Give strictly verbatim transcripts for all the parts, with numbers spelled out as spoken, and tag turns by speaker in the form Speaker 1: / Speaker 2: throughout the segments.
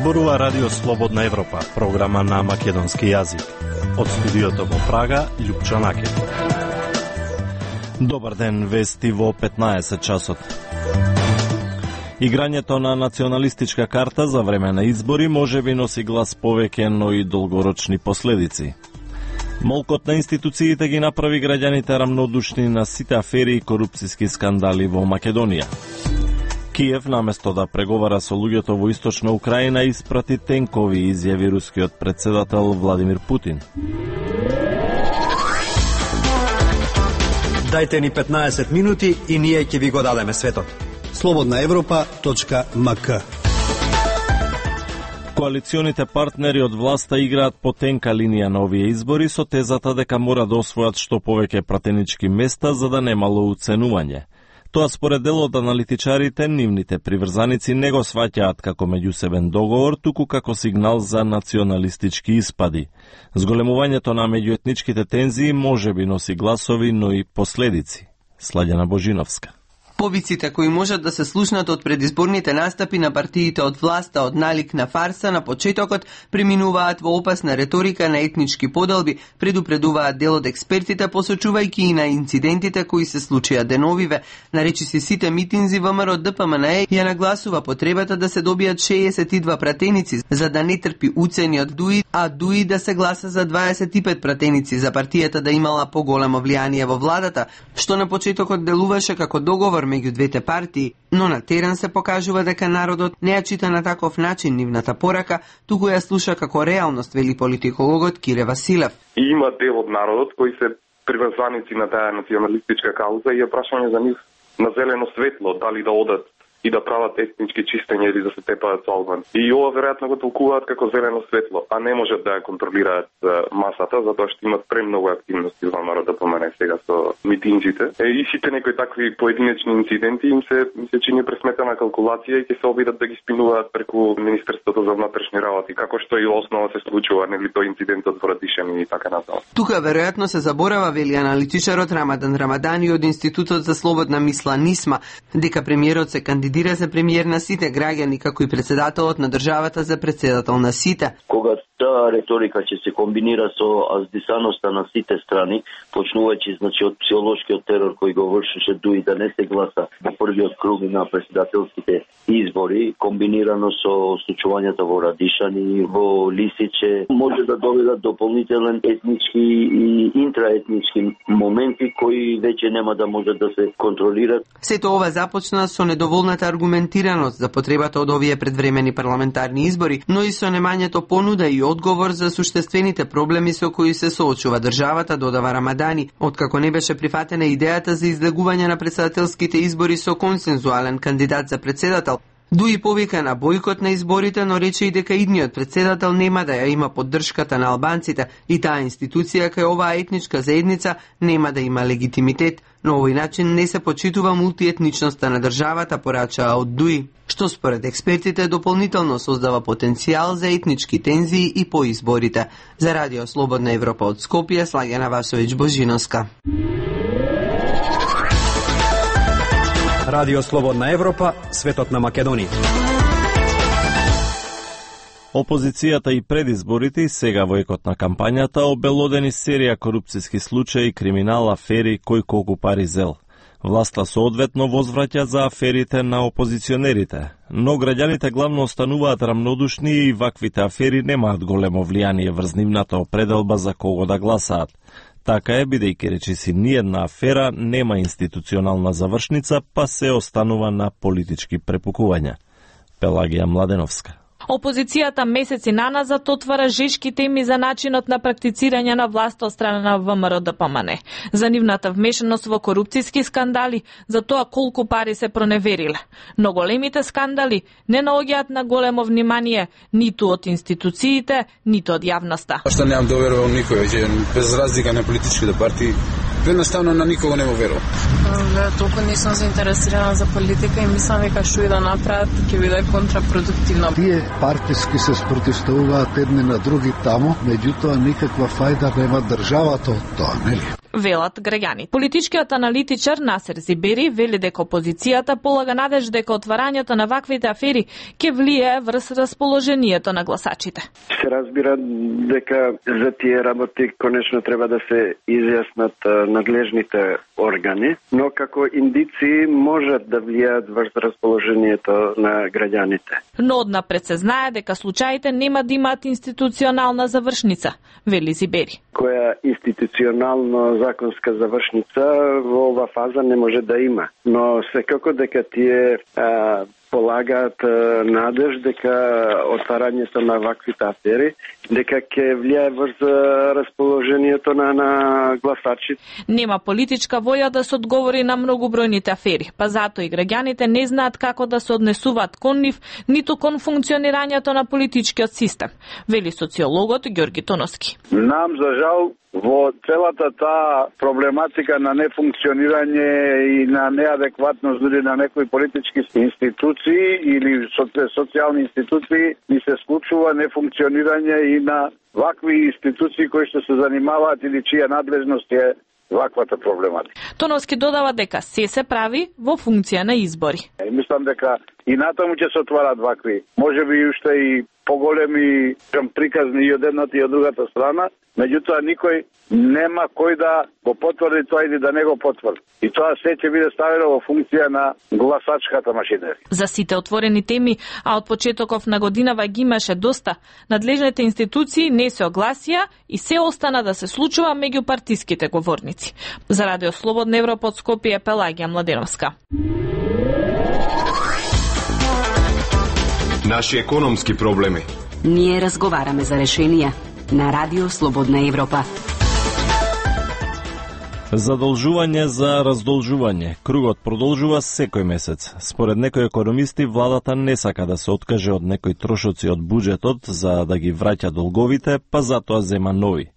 Speaker 1: зборува Радио Слободна Европа, програма на македонски јазик. Од студиото во Прага, Љупчо Накев. Добар ден, вести во петнаесет часот. Играњето на националистичка карта за време на избори може би носи глас повеќе, но и долгорочни последици. Молкот на институциите ги направи граѓаните рамнодушни на сите афери и корупциски скандали во Македонија. Киев, наместо да преговара со луѓето во источна Украина, испрати тенкови, изјави рускиот претседател Владимир Путин.
Speaker 2: Дајте ни петнаесет минути и ние ќе ви го дадеме светот. слободна европа точка ем ка.
Speaker 1: Коалиционите партнери од власта играат по тенка линија на овие избори со тезата дека мора да освојат што повеќе пратенички места за да немало уценување. Тоа според дел од аналитичарите, нивните приврзаници не го сваќаат како меѓусебен договор, туку како сигнал за националистички испади. Зголемувањето на меѓуетничките тензии може би носи гласови, но и последици. Сладјана Божиновска.
Speaker 3: Повиците кои можат да се слушнат од предизборните настапи на партиите од власта од налик на фарса на почетокот преминуваат во опасна реторика на етнички поделби, предупредуваат дел од експертите, посочувајќи и на инцидентите кои се случија деновиве. Наречиси сите митинзи ВМРО Д П М Н Е ја нагласува потребата да се добијат шеесет и два пратеници за да не трпи уцени од ДУИ, а ДУИ да се гласа за дваесет и пет пратеници за партијата да имала поголемо влијание во владата, што на почетокот делуваше како договор меѓу двете партии, но на терен се покажува дека народот не ја чита на таков начин нивната порака, туку ја слуша како реалност, вели политикологот Кире Василев.
Speaker 4: И има дел од народот кои се приврзаници на таа националистичка кауза и е прашање за нив на зелено светло, дали да одат и да прават етнички чистења или да се тепаат со албан. И ова веројатно го толкуваат како зелено светло, а не можат да ја контролираат масата, затоа што имат премногу активности во ВМРО Д П М Н Е сега со митинзите. И сите некои такви поединечни инциденти им се ми се чини пресметана калкулација и ќе се обидат да ги спинуваат преку Министерството за внатрешни работи, како што и основа се случува, нели тој инцидентот во Радишани и така натаму.
Speaker 3: Тука веројатно се заборава, вели аналитичарот Рамадан Рамадани од Институтот за слободна мисла НИСМА, дека премиерот се кандидира Кандидира за премиер на сите граѓани, како и председателот на државата за председател на сите.
Speaker 5: Кога таа реторика ќе се комбинира со аздисаноста на сите страни, почнувајќи значи од психолошкиот терор кој го вршеше ДУИ да не се гласа во првиот круг на председателските избори, комбинирано со случувањата во Радишани, во Лисиче, може да доведат дополнителен етнички и интраетнички моменти кои веќе нема да можат да се контролират.
Speaker 3: Сето ова започна со недоволната аргументираност за потребата од овие предвремени парламентарни избори, но и со немањето понуда и одговор за суштествените проблеми со кои се соочува државата, додава Рамадани, откако не беше прифатена идејата за излегување на председателските избори со консензуален кандидат за председател. ДУИ повика на бојкот на изборите, но рече и дека идниот председател нема да ја има поддршката на албанците и таа институција кај оваа етничка заедница нема да има легитимитет. На овој начин не се почитува мултиетничноста на државата, порачаа од ДУИ, што според експертите дополнително создава потенцијал за етнички тензии и по изборите. За Радио Слободна Европа од Скопје, Слагена Васовиќ Божиновска.
Speaker 2: Радио Слободна Европа, светот на Македонија.
Speaker 1: Опозицијата и пред изборите и сега во екот на кампањата обелодени серија корупциски случаи, криминал, афери, кој колку пари зел. Власта соодветно возвраќа за аферите на опозиционерите, но граѓаните главно остануваат рамнодушни и ваквите афери немаат големо влијание врз нивната определба за кого да гласаат. Така е, бидејќи речиси ниедна афера нема институционална завршница, па се останува на политички препукувања. Пелагија Младеновска.
Speaker 6: Опозицијата месеци наназад отвара жешки теми за начинот на практицирање на власта од страна на ВМРО Д П М Н Е, за нивната вмешаност во корупцијски скандали, за тоа колку пари се проневериле. Но големите скандали не наоѓаат на големо внимание ниту од институциите, ниту од јавноста.
Speaker 7: Што немам доверувам никој, че без разлика на политичките партии, едноставно на никого не му верувам.
Speaker 8: Толку не сум заинтересирана за политика и мислам дека што и да направат ќе биде контрапродуктивно.
Speaker 9: Тие партиски се спротивставуваат едни на други таму, меѓутоа никаква фајда нема државата од тоа, нели?
Speaker 6: велат граѓани. Политичкиот аналитичар Насер Зибери вели дека опозицијата полага надеж дека отварањето на ваквите афери ќе влијае врз расположението на гласачите.
Speaker 9: Се разбира дека за тие работи конечно треба да се изјаснат надлежните органи, но како индици можат да влијаат врз расположението на граѓаните.
Speaker 6: Но однапред се знае дека случаите нема да имаат институционална завршница, вели Зибери.
Speaker 9: Која институционално законска завршница во ова фаза не може да има, но секако дека тие а, полагаат надеж дека отварањето на ваквите афери дека ќе влијае врз расположението на, на гласачите.
Speaker 6: Нема политичка волја да се одговори на многобројните афери, па затоа и граѓаните не знаат како да се однесуваат кон нив, ниту кон функционирањето на политичкиот систем, вели социологот Ѓорги Тоновски.
Speaker 10: Нам за жал во целата таа проблематика на нефункционирање и на неадекватност дури на некои политички институции или социјални институции ни се случува нефункционирање и на вакви институции кои што се занимаваат или чија надлежност е ваквата проблематика.
Speaker 6: Тоновски додава дека се се прави во функција на избори.
Speaker 10: И мислам дека и натаму ќе се отварат вакви, можеби уште и поголеми приказни и од едната и од другата страна, меѓутоа никој нема кој да го потврди тоа или да не го потврди. И тоа се ќе биде ставено во функција на гласачката машинерија.
Speaker 6: За сите отворени теми, а од почетоков на годинава ги имаше доста, надлежните институции не се огласија и се остана да се случува меѓу партиските говорници. За Радио Слободна Европа од Скопје, Пелагија Младеновска.
Speaker 11: Наши економски проблеми.
Speaker 12: Ние разговараме за решенија на Радио Слободна Европа.
Speaker 1: Задолжување за раздолжување. Кругот продолжува секој месец. Според некои економисти, владата не сака да се откаже од некои трошоци од буџетот за да ги враќа долговите, па затоа зема нови.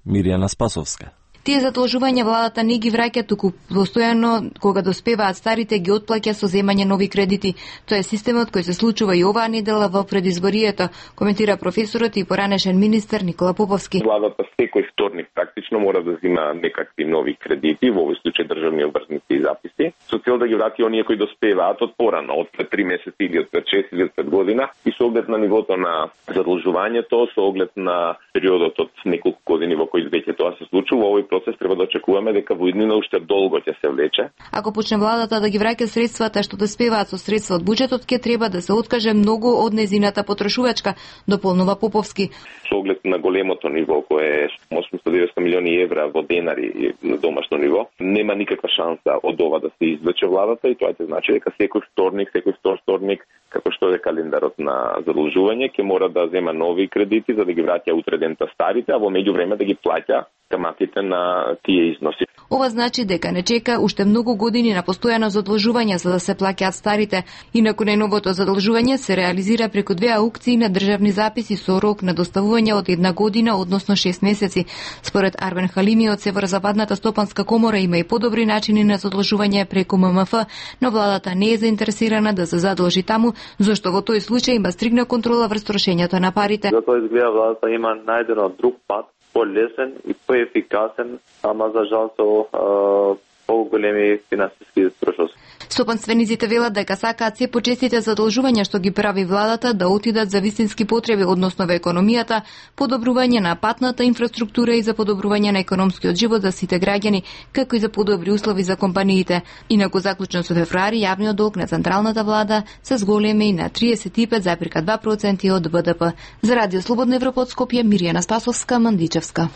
Speaker 1: Мирјана Спасовска.
Speaker 13: Тие задолжувања владата не ги враќа, туку постојано кога доспеваат старите ги отплаќа со земање нови кредити. Тоа е системот кој се случува и оваа недела во предизборието, коментира професорот и поранешен министер Никола Поповски.
Speaker 4: Владата секој вторник практично мора да зема некакви нови кредити, во овој случај државни обврзници и записи, со цел да ги врати оние кои доспеваат од порано, од пред три месеци или од пред шест или од пред година, и со оглед на нивото на задолжувањето, со оглед на периодот од неколку години во кои веќе тоа се случува, овој процес треба да очекуваме дека во иднина уште долго ќе се влече.
Speaker 13: Ако почне владата да ги враќа средствата што доспеваат со средства од буџетот, ќе треба да се откаже многу од незината потрошувачка, дополнува Поповски.
Speaker 4: Со оглед на големото ниво кое е осумстотини до деветстотини милиони евра во денари на домашно ниво, нема никаква шанса од ова да се извлече владата и тоа ќе значи дека секој вторник, секој втор вторник, како што е календарот на задолжување, ќе мора да зема нови кредити за да ги враќа утре дента старите, а во меѓувреме да ги плаќа каматите на тие износи.
Speaker 13: Ова значи дека не чека уште многу години на постојано задолжување за да се плаќаат старите. Инаку најновото задолжување се реализира преку две аукции на државни записи со рок на доставување од една година, односно шест месеци. Според Арбен Халими од Северозападната стопанска комора има и подобри начини на задолжување преку М М Ф, но владата не е заинтересирана да се задолжи таму, зашто во тој случај има стригна контрола врз трошењето на парите.
Speaker 14: Затоа изгледа владата има најдено друг пат, по-лесен и по-ефикасен, ама за жал со поголеми финансиски трошоци.
Speaker 13: Стопанствениците велат дека сакаат се почестите задолжувања што ги прави владата да отидат за вистински потреби, односно во економијата, подобрување на патната инфраструктура и за подобрување на економскиот живот за сите граѓани, како и за подобри услови за компаниите. Инаку заклучно со февруари јавниот долг на централната влада се зголеми на триесет и пет зарез два проценти од Б Д П. За Радио Слободна Европа од Скопје, Мирјана Спасовска, Мандичевска.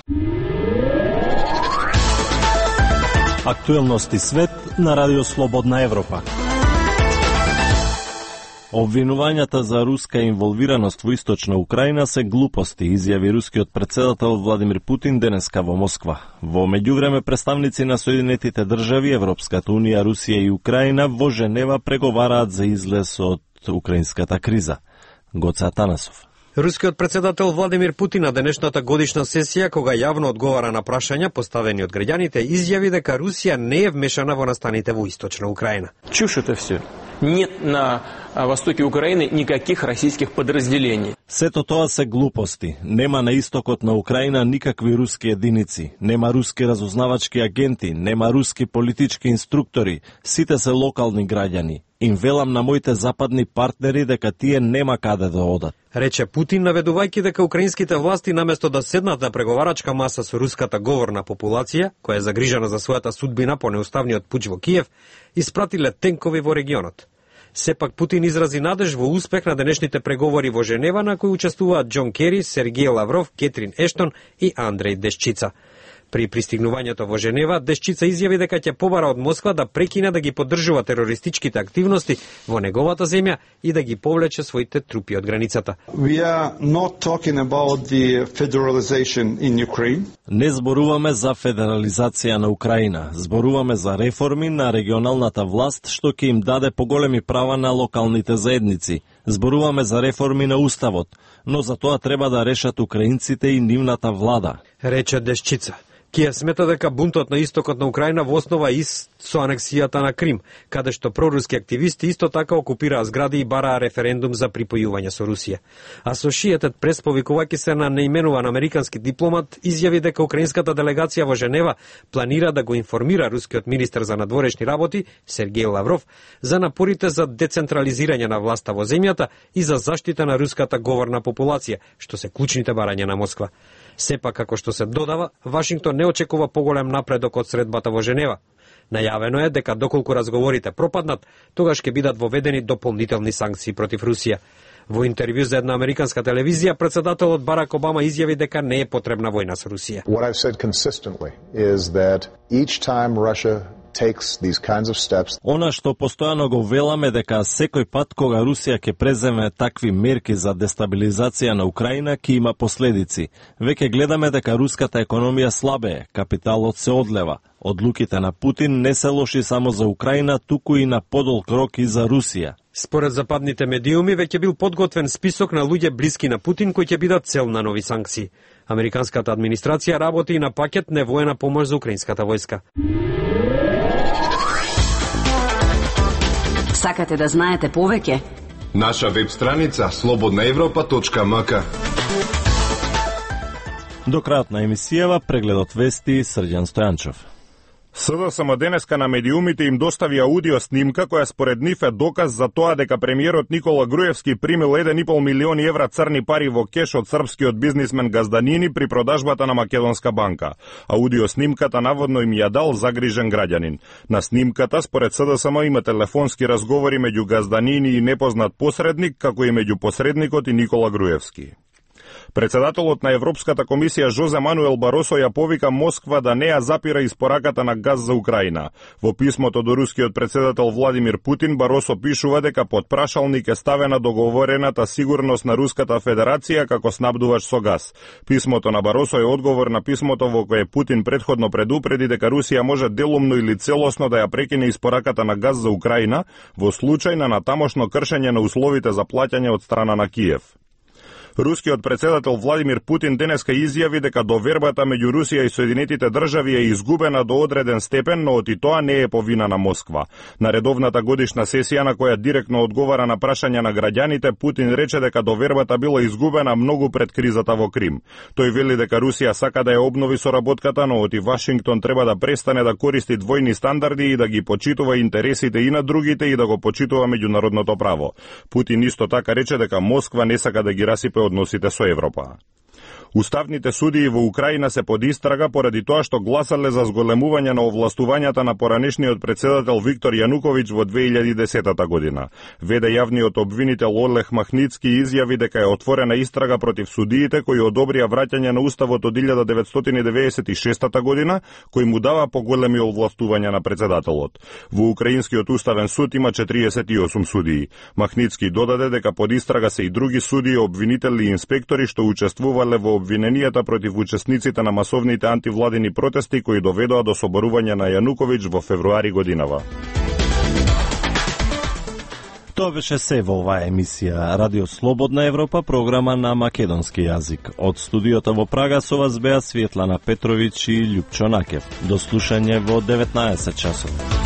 Speaker 1: Актуелности свет на Радио Слободна Европа. Обвинувањата за руска инволвираност во источна Украина се глупости, изјави рускиот претседател Владимир Путин денеска во Москва. Во меѓувреме представници на Соединетите држави, Европската унија, Русија и Украина во Женева преговараат за излез од украинската криза. Гоце Атанасов.
Speaker 2: Рускиот претседател Владимир Путин на денешната годишна сесија, кога јавно одговара на прашања поставени од граѓаните, изјави дека Русија не е вмешана во настаните во источна Украина.
Speaker 15: Чуш это все. нет на востоке Украины никаких российских подразделений.
Speaker 1: Сето тоа се глупости. Нема на истокот на Украина никакви руски единици, нема руски разузнавачки агенти, нема руски политички инструктори, сите се локални граѓани. Им велам на моите западни партнери дека тие нема каде да одат.
Speaker 16: Рече Путин, наведувајќи дека украинските власти наместо да седнат на преговарачка маса со руската говорна популација, која е загрижена за својата судбина по неуставниот пуч во Киев, испратиле тенкови во регионот. Сепак Путин изрази надеж во успех на денешните преговори во Женева, на кои учествуваат Џон Кери, Сергеј Лавров, Кетрин Ештон и Андреј Дешчица. При пристигнувањето во Женева, Дешчица изјави дека ќе побара од Москва да прекине да ги поддржува терористичките активности во неговата земја и да ги повлече своите трупи од границата.
Speaker 17: We are not talking about the federalization in Ukraine.
Speaker 1: Не зборуваме за федерализација на Украина, зборуваме за реформи на регионалната власт што ќе им даде поголеми права на локалните заедници. Зборуваме за реформи на уставот, но за тоа треба да решат украинците и нивната влада,
Speaker 16: рече Дешчица. Киев смета дека бунтот на истокот на Украина во основа ист со анексијата на Крим, каде што проруски активисти исто така окупираа згради и бараа референдум за припојување со Русија. Асошиетед прес, повикувајќи се на неименуван американски дипломат, изјави дека украинската делегација во Женева планира да го информира рускиот министер за надворешни работи Сергеј Лавров за напорите за децентрализирање на власта во земјата и за заштита на руската говорна популација, што се клучните барања на Москва. Сепак, како што се додава, Вашингтон не очекува поголем напредок од средбата во Женева. Најавено е дека доколку разговорите пропаднат, тогаш ќе бидат воведени дополнителни санкции против Русија. Во интервју за една американска телевизија, председателот Барак Обама изјави дека не е потребна војна со Русија.
Speaker 18: What I've said consistently is that each time Russia takes these kinds of steps.
Speaker 1: Она што постојано го веламе дека секој пат кога Русија ќе преземе такви мерки за дестабилизација на Украина ќе има последици. Веќе гледаме дека руската економија слабее, капиталот се одлева. Одлуките на Путин не се лоши само за Украина, туку и на подолг рок и за Русија.
Speaker 16: Според западните медиуми, веќе бил подготвен список на луѓе блиски на Путин кои ќе бидат цел на нови санкции. Американската администрација работи и на пакет невоена помош за украинската војска.
Speaker 12: Сакате да знаете повеќе?
Speaker 11: Наша веб страница слободна европа точка ем ка.
Speaker 1: До крајот на емисијава прегледот вести Срđan Стојанчов.
Speaker 19: СДСМ денеска на медиумите им достави аудио снимка која според нив е доказ за тоа дека премиерот Никола Груевски примил еден и пол милиони евра црни пари во кеш од српскиот бизнисмен Газданини при продажбата на Македонска банка. Аудио снимката наводно им ја дал загрижен граѓанин. На снимката според СДСМ има телефонски разговори меѓу Газданини и непознат посредник, како и меѓу посредникот и Никола Груевски. Председателот на Европската комисија Жозе Мануел Баросо ја повика Москва да не ја запира испораката на газ за Украина. Во писмото до рускиот председател Владимир Путин, Баросо пишува дека под прашалник е ставена договорената сигурност на Руската Федерација како снабдувач со газ. Писмото на Баросо е одговор на писмото во кое Путин предходно предупреди дека Русија може делумно или целосно да ја прекине испораката на газ за Украина во случај на натамошно кршење на условите за плаќање од страна на Киев. Рускиот председател Владимир Путин денеска изјави дека довербата меѓу Русија и Соединетите држави е изгубена до одреден степен, но и тоа не е по вина на Москва. На редовната годишна сесија на која директно одговара на прашања на граѓаните, Путин рече дека довербата била изгубена многу пред кризата во Крим. Тој вели дека Русија сака да ја обнови соработката, но и Вашингтон треба да престане да користи двојни стандарди и да ги почитува интересите и на другите и да го почитува меѓународното право. Путин исто така рече дека Москва не сака да ги расипе односите со Европа. Уставните судии во Украина се под истрага поради тоа што гласале за зголемување на овластувањата на поранешниот председател Виктор Јануковиќ во две илјади и десета година. Веде јавниот обвинител Олег Махницки изјави дека е отворена истрага против судиите кои одобрија враќање на уставот од илјада деветстотини деветдесет и шеста година, кој му дава поголеми овластувања на председателот. Во украинскиот уставен суд има четириесет и осум судии. Махницки додаде дека под истрага се и други судии, обвинители и инспектори што учествувале во обвиненијата против учесниците на масовните антивладини протести кои доведоа до соборување на Јануковиќ во февруари годинава.
Speaker 1: Тоа беше се во оваа емисија Радио Слободна Европа, програма на македонски јазик. Од студиото во Прага со вас беа Светлана Петровиќ и Љупчо Накев. До слушање во деветнаесет часот.